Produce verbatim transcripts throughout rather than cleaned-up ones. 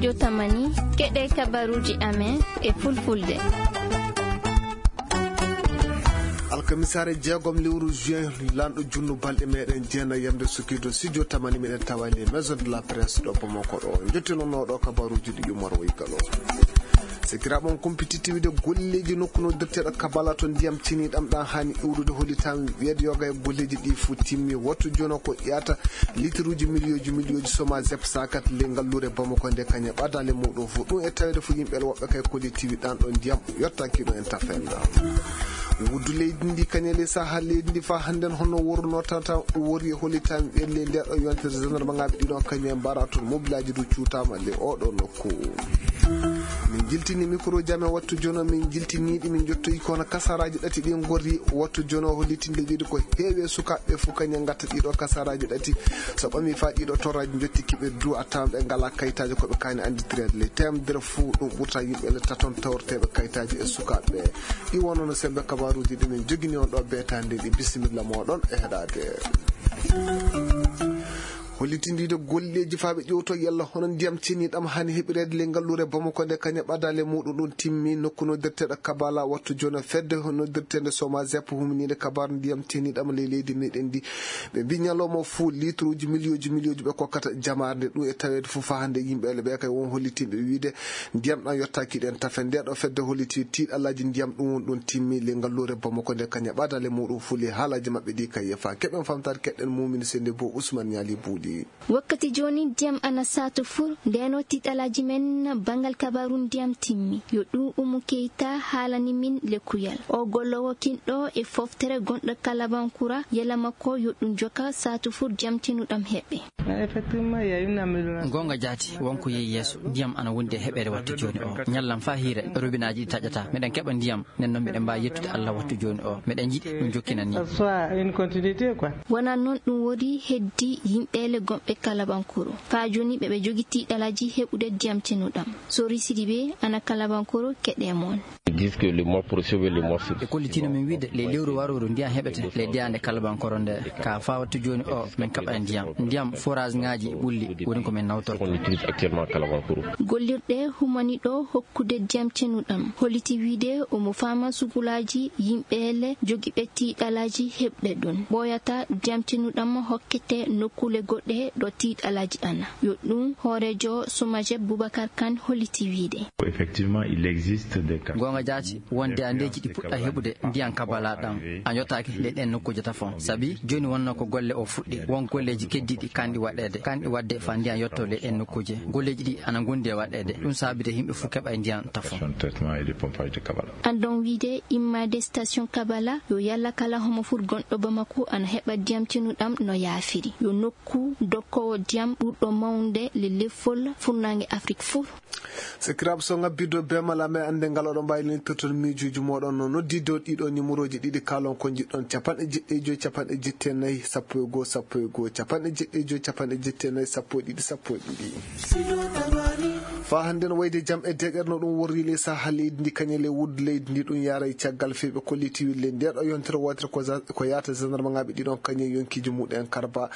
Jotamani, keɗe kabaruuji amen e fulfulde. Alkamisaare jeegom lewru juin, lanɗo junnu balɗe meɗen jeenayi yamde sukiido studio tamani meɗen tawa les maison de la presse ɗo Bamako ɗo. Jottinonoɗo kabaruuji ɗi Umar Woy Galo. Sekiraaɓe on kumpiti tiwide golleeji nokku no dirteɗo kabala to ndiyam ceniɗam ɗan hani iwrude hollitam weedo yoga e golleeji ɗi fu timmi wattu jono ko ƴata litiruuji miliyooji miliyooji soma zep sakat le ngalluure Bamako nde kañe ɓadale muɗum fu ɗum e tawede fu yimɓe woɓɓe kay koli tiwi ɗan ɗo ndiyam yottaki ɗo en tafenda. Wuddu leydi ndi kañe le saha leydi ndi fa hannden hono worno tata wori e hollitam ɓelle nder ɗo yontere gendarme ngaɓe ɗiɗon kañe mbara toon mobilaji du cuutama le oɗo nokku. Min jiltini micro jam e wattu jono min jiltiniɗi min jottoyi kono kasaraji ɗati ɗi gorri wattu jono hollitinde wiide ko heewi e sukaɓe fof kañe gatta ɗiɗo kasaraji ɗati. So ɓami fa ɗiɗo torraji jotti kiɓe du a tawan ɓe ngala kayitaji koɓe kani anditirede le temdere fof ɗum ɓurta yimɓe le taton tawrteɓe kayitaji e sukaɓe. Ɗi wonono sembe kabaruji ɗi min jogini on ɗo betande ɗi bisimilla moɗon e heɗade. Hollitindiide golleeji faa ɓe ƴewto yalla hono ndiyam ceniɗam hani heɓireede le ngalluure Bamako nde kañe ɓadale muɗum ɗum timmi nokku no derteɗo kabala wattu jono fedde hono dertende soma zep huminiide kabar ndiyam ceniɗam ley leydi meɗen ndi. Ɓe mbi ñalawma fuu litruuji miliyooji miliyooji ɓe kokkata jamaare nde ɗum e taweede fof faa hannde yimɓe ele ɓe kay won hollitinɓe wiide ndiyam ɗam yottaaki ɗen tafe nde ɗo fedde holliti tiiɗalaaji ndiyam ɗum won ɗum timmi le ngalluure Bamako nde kañe ɓadale muɗum fuu le haalaaji maɓɓe ɗi kay yefa keɓen famtaade keɗɗen mumini sende bo Ousmane Niali Buuɗi. Wakkati jooni ndiyam ana saato fur ndeno tiiɗalaaji men banngal kabaru ndiyam timmi yo ɗum umu keyta haalani min lekkuyal o gollowo kinɗo e foftere gonɗo kalabankura yela makko yo ɗum joka saato fur jamtinuɗam heɓɓe. Goonga jaati wonko yehi yeeso ndiyam ana wondi e heɓeere wattu jooni o ñallam faa hiire robinaaji ɗi taƴata meɗen keɓa ndiyam nden noon meɗen mbaawi yettude Allah wattu jooni o meɗen njiɗi ɗum jokkinani. Wonaa noon ɗum woni heddi yimɓeele gomɓe kalabankoro faa jooni ɓe ɓe jogi tiiɗalaaji heɓude ndiyam cenuɗam. Sori Sidibe ana kalabankoro keɗe moon. Ɓe kollitino min wiide ley lewru warooru ndiyam heɓete ley deyaande kalabankoro nde ka faa wattu jooni o min kaɓa e ndiyam ndiyam forage ngaaji ɓulli woni ko min nawtorto. Gollirɗe humani ɗo hokkude ndiyam cenuɗam holliti wiide omo faama sugulaaji yimɓeele jogiiɓe tiiɗalaaji heɓde ɗum ɓooyata ndiyam cenuɗam hokkete nokkuule goɗɗe ɗo tiiɗalaaji ana yo ɗum hooreejo Somajeb Boubacar Kane holliti wiide. Goonga jaati wonde andeeji ɗi puɗɗa heɓude ndiyam kabala ɗam a yottaaki ley ɗen nokkuuje tafon sabi jooni wonno ko golle o fuɗɗi won golleeji keddiiɗi kanɗi waɗeede kanɗi waɗde faa ndiyam yotto ley ɗen nokkuuje golleeji ɗi ana ngondi e waɗeede ɗum saabide yimɓe fof keɓa e ndiyam tafon. Andon wiide immaade station kabala yo yalla kala homo fur gonɗo Bamako ana heɓa ndiyam cenuɗam no yaafiri yo nokku dokkoowo ndiyam ɓurɗo mawnde le leffol furnaange Afrik fof. Sakiraaɓe so ngabbiddo be mala men annde ngal oɗon mbaawi lentirtoon miijuuji mooɗon no noddidde ɗiɗo nimorooji ɗiɗi kaalon ko njiɗɗon capanɗe jeɗɗi e joyi capanɗe jetti e nayi sappo e goo sappo e goo capanɗe jeɗɗi e joyi capanɗe jetti e nayi sappo e ɗiɗi sappo e ɗiɗi. Faa hannde no wayde jam e deeƴere no ɗum worri ley saha leydi ndi kañe ley wuddu leydi ndi ɗum yaara e caggal fii ɓe kolliti wille nde ɗo yontere wootere ko za- ko yaata gendarme ngaaɓe ɗiɗon kañe yonkiiji muɗen karba.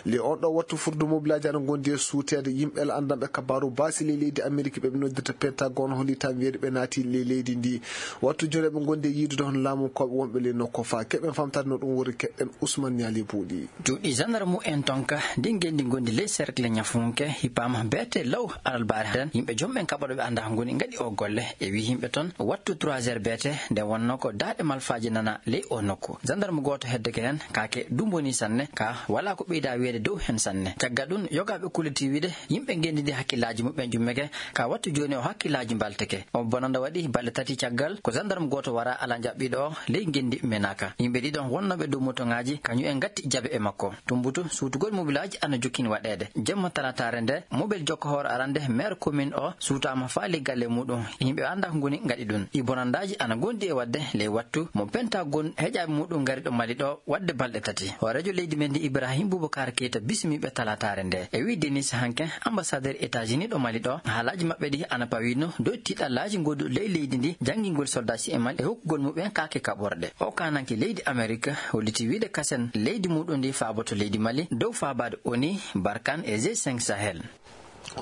Le on ɗo wattu furdu mobilaaji ana ngondi e suuteede yimɓe la anndanɓe kabaaru baasi ley leydi Ameriki ɓe ɓe noddirta Pentagon hollitaa wiyeede ɓe naati ley leydi ndi. Wattu jooni eɓe ngondi e yiidude hono laamunkooɓe wonɓe ley nokku faa keɓen famtaade no ɗum wori keɗɗen Ousmane Niali Buuɗi. Cuuɗi gendarme en tonka ndi ngendi ngondi ley cercle ñafunke hippama beete law alalbaare nden yimɓe joom ɓen kaɓaɗo ɓe anndaa ngoni ngaɗi o golle e wi yimɓe ton wattu trois heures beete nde wonno ko daaɗe malfaaji nana ley o nokku gendarme gooto heddeke heen kaake dumboni sanne ka wala ko ɓeyda wiyeede dow heen sanne caggal ɗum yogaaɓe kulliti wiide yimɓe ngendi ndi hakkillaaji muɓɓen ƴummeke ka wattu jooni o hakkillaaji mbalteke o bonanda waɗi balɗe tati caggal ko gendarme gooto wara ala jaɓɓiiɗo o ley ngendi menaka yimɓe ɗiɗon wonnooɓe dow motoŋaaji kañum en ngatti jabe e makko tumbutu suutugol mobilaaji ana jokkini waɗeede jemma talataare nde mobel jokka hoore arande maire commune o suutaama faali galle muɗum yimɓe annda ko ngoni ngaɗi ɗum ɗi bonandaaji ana ngondi e waɗde ley wattu mo pentagon heƴaaɓe muɗum ngari ɗo mali ɗo waɗde balɗe tati hooreejo leydi men ndi ibrahim boubacar keyta bismiiɓe talataare nde e wi denis hanke ambassadeur états-unis ɗo mali ɗo haalaaji maɓɓe ɗi ana pawino dow tiiɗallaaji ngodu ley leydi ndi janngingol soldaaji e mali e hokkugol muɓɓen kaake kaɓorɗe o kananke leydi amerique holliti wiide kasen leydi muɗum ndi faaboto leydi mali dow faabaade oni barkan e g cinq sahel.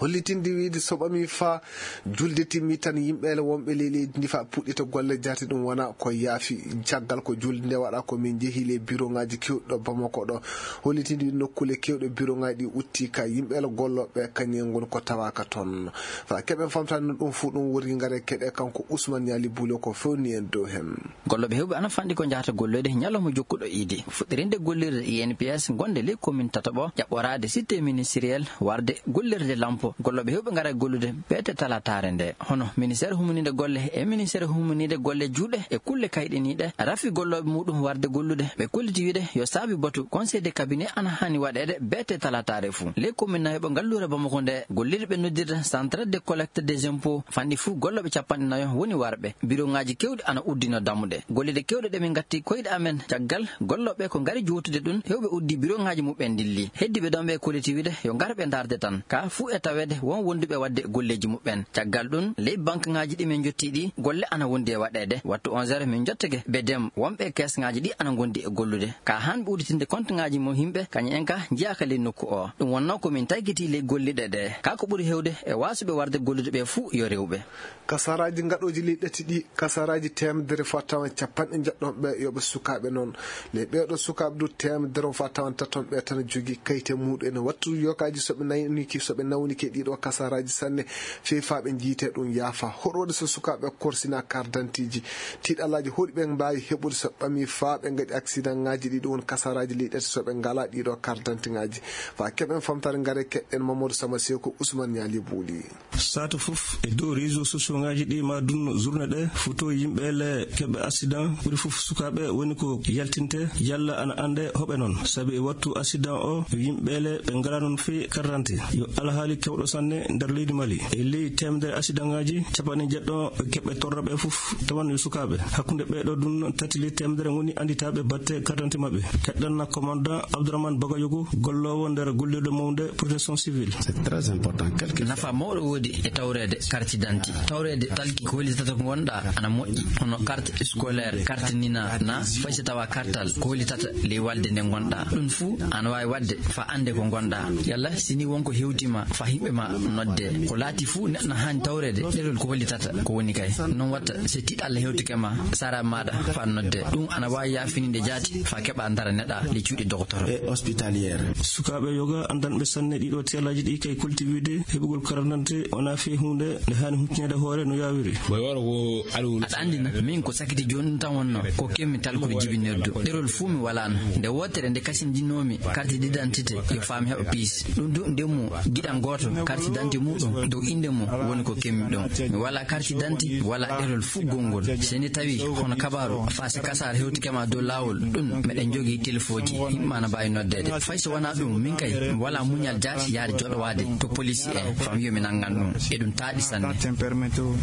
Hollitinde wiyde so ɓamii faa julde timmii tan, yimɓeele wonɓe ley leydi ndi faa puɗɗita golle jaate, ɗum wona ko yaafi. Caggal ko julde nde waɗa, ko min njehi ley biroŋaaji keewɗi ɗo Bamako ɗo. Hollitinde wiyde nokkuule keewɗe biroŋaaji ɗi utti ka yimɓeele gollooɓe kañum en ngoni ko tawaaka toon. Faa keɓen famtaade no ɗum fuu ɗum woni, ngare keɗe kanko Ousmane Niali Bulo ko fewni en dow heen. Gollooɓe heewɓe ana fanɗi ko njahata golloyde ñalawma jokkuɗo iidi. Fuɗɗirinde gollirde I N P S gonde ley commune tataɓo, ƴaɓɓoraade cité ministériel, warde gollirde lampo. Gollooɓe heewɓe ngara gollude beete talataare nde. Hono ministère humniinde golle e ministère humniinde golle juuɗe e kulle kayɗiniiɗe, rafi gollooɓe muɗum warde gollude. Ɓe kolliti wiide yo saabi batu conseil de cabinet ana hani waɗeede beete talataare fuu. Ley commune nayoɓo ngalluure Bamako nde, gollirɓe noddirta centre de collecte des impôts, fanɗi fuu gollooɓe capanɗe nayo woni warɓe. Biroŋaaji keewɗi ana uddino dammuɗe. Golleeji keewɗi ɗe min ngatti koyɗe amen caggal gollooɓe ko ngari jootude ɗum, heewɓe uddi biroŋaaji muɓɓen ndilli. Heddiiɓe ɗon ɓe kolliti wiide yo ngar ɓe ndaarde tan. Ka fuu e taweede won wonduɓe waɗde golleeji muɓɓen. Caggal ɗum, ley bankaŋaaji ɗi min njotti ɗi, golle ana wondi e waɗeede. Wattu onze heures min njottake Bedem, wonɓe keesŋaaji ɗi ana ngondi e gollude. Ka han ɓe udditinde konteŋaaji mo yimɓe, kañum en ka njiyaaka ley nokku o. Ɗum wonnoo ko min taykiti ley golliɗe ɗe. Ka ko ɓuri heewde e waasuɓe warde gollude ɓe fuu yo rewɓe. Kasaraaji ngaɗooji ley ɗati ɗi, kasaraaji teemedere faa tawan capanɗe njeɗɗon ɓe yo ɓe sukaaɓe noon. Ley ɓeeɗo sukaaɓe du teemedere faa tawan taton ɓe tan jogii kayte muɗum en. Wattu yokaaji so ɓe nawnike, so ɓe nawnike ɗiɗo kasaraaji sanne, fii faa ɓe njiyte ɗum yaafa. Hoɗo waɗi so sukaaɓe korsina kardantiiji? Tiiɗalaaji hoɗi ɓe mbaawi heɓude so ɓamii faa ɓe ngaɗi aksidaŋaaji ɗiɗo won kasaraaji ley ɗati so ɓe ngalaa ɗiɗo kardantiŋaaji? Faa keɓen famtaare ngare keɗen Mamadou Sama Seko, Ousmane Niali Buuli. Saatu fof e dow réseaux sociaux ŋaaji ɗi ma dunno journée ɗe, photo yimɓe le keɓe accident, ɓuri fof sukaaɓe woni ko yaltinte, yalla ana annde hoɓe noon. Sabi e wattu accident o, yimɓe le ɓe ngalaa noon fii karante. Yo alhaali kewɗo sanne nder leydi Mali. E ley teemedere accident ŋaaji, capanɗe jeɗɗo ɓe keɓe torraɓe fof tawan yo sukaaɓe. Hakkunde ɓeeɗo dunno tati ley teemedere ngoni annditaaɓe batte karante maɓɓe. Keɗɗen na commandant Abdourahmane Bagayogo, golloowo nder gollirde mawnde protection civile. C'est très important. Quelque Nafa mawɗo woodi e tawreede carte d'identité. Tawreede talki ko hollitata ko ngonɗa ana moƴƴi, hono carte scolaire, carte nina na, fay so tawa kartal ko hollitata ley walde nde ngonɗa. Ɗum fuu ana waawi waɗde faa annde ko ngonɗa. Yalla si ni wonko hewtima faa yimɓe ma nodde. Ko laati fuu neɗɗo na haani tawreede ɗerol ko hollitata ko woni kay. Noon watta si tiiɗalla hewtike ma, sara maɗa faa nodde. Ɗum ana waawi yaafininde jaati faa keɓa dara neɗɗa ley cuuɗi docteur. Et hospitalière. Sukaaɓe yoga anndanɓe sanne ɗiɗo teelaaji ɗi kay kolti wiide heɓugol carte d'identité wonaa fii huunde nde haani huccinaade hoore no yaawiri. Boy waro wo aɗa Aɗa anndi na, min ko sakiti jooni ɗum tan wonnoo, ko kemmi talkuru jibinirdu. Ɗerol fuu mi walaano. Nde wootere nde kasindinnoomi carte d'identité, yo faam heɓa piis. Ɗum du ndemmu giɗan gooto, carte d'identité muɗum dow innde mum woni ko kemmi ɗum. Mi walaa carte d'identité, walaa ɗerol fuu gonngol. So ni tawi hono kabaaru, faa si kasaara hewtike ma dow laawol, ɗum meɗen njogii telefooji, yimɓe ma na mbaawi noddeede. Fay so wonaa ɗum, min kay, mi walaa muñal jaati yahde joɗowaade to police en, faa mi wiya mi nanngan ɗum. E ɗum taaɗi sanne.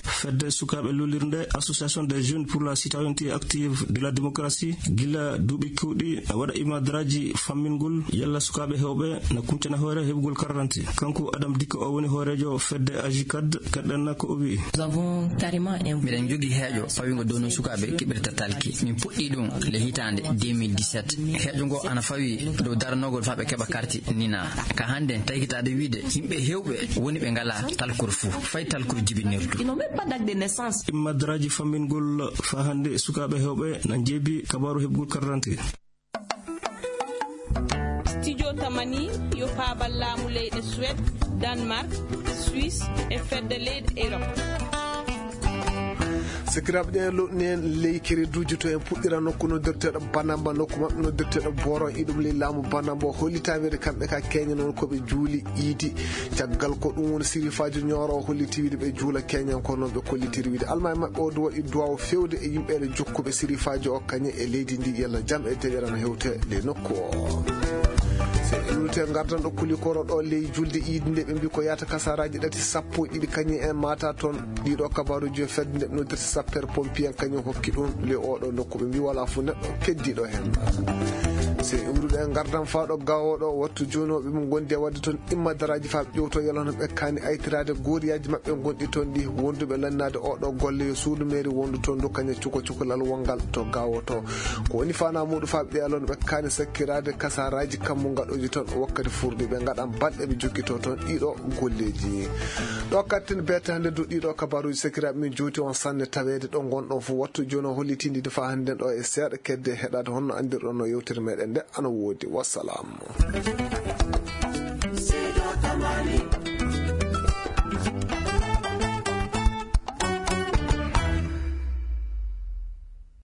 Fedde sukaaɓe lullirnde, Association des jeunes pour la citoyenneté active de la démocratie, gila duuɓi keewɗi, a waɗa imadraaji fammingol yalla sukaaɓe heewɓe na kuncana hoore heɓugol carte d'identité. Kanko Adam Dikko o woni hooreejo fedde Agicad, kaɗɗanna ko o wi'i. Nous avons carrément un Miɗen njogii heeƴo fawingo dow no sukaaɓe keɓirta talki. Min puɗɗii ɗum le hitaande deux mille dix-sept. Heeƴo ngo ana fawi dow daranogol faa ɓe keɓa karti nina. Ka hannde, taykitaade wiide yimɓe heewɓe woni ɓe ngalaa talkuru fuu, fay talkuru jibinirdu. Ils n'ont même pas d'acte de naissance. Imadraaji fammingol faa hannde sukaaɓe heewɓe na njeebi kabaaru heɓugol carte d'identité. Studio Tamani yo faabal laamu leyɗe Suède, Danemark, Suisse e fedde leyɗe Europe. Sakiraaɓe, ɗen loɗni en ley kereduuji to en puɗɗira nokku noddirteeɗo Banamba, nokku maɓɓe noddirteeɗo Boron, iɗum ley laamu Banamba o hollitaama kamɓe ka keña noon ko ɓe juuli iidi. Caggal ko ɗum woni sirifaajo Ñooro o holliti wiide ɓe juula keñan ko noon ɓe kollitiri wiide. Almaami maɓɓe o du waɗi duwaaw feewde e yimɓe ene jokkuɓe sirifaajo o kañe e leydi ndi yalla jam e deƴƴere no hewte ley nokku o. Se en luute ngardan ɗo kuli koro ɗo ley julde iidi nde ɓe mbi ko yata kasaraaji ɗati sappo e ɗiɗi kañe en mata toon. Ɗiɗo kabaaruji yo fedde nde noddirta sapeur pompier en kañum hokki ɗum le oɗo nokku ɓe mbi wala fu neɗɗo keddiɗo hen. Se umruɗe e ngardam faa ɗo gaawooɗo wattu jooni o ɓe mo ngondi e waɗde toon imma daraaji faa ɓe ƴowto yalano ɓe kaani aytiraade gooriyaji maɓɓe gonɗi toon ɗi wonduɓe lannaade oɗo golle yo suudu meeri wondu toon du kaña cuko cukalal wongal to gaawoto ko woni faana muɗum faa ɓe yalano ɓe kaani sakkiraade kasaraji kammu ngaɗoji toon wakkati furduɓe ngaɗan balɗe ɓe jokkito toon ɗiɗo golleji. Ɗo katten beete hannde du ɗiɗo kabaruji sakiraaɓe min jowti on sanne taweede ɗo ngonɗon fof wattu jooni o hollitindi faa hannden ɗo e seeɗa kedde heɗaade honno anndirɗon no yewtere meɗen nde ana woodi wassalam.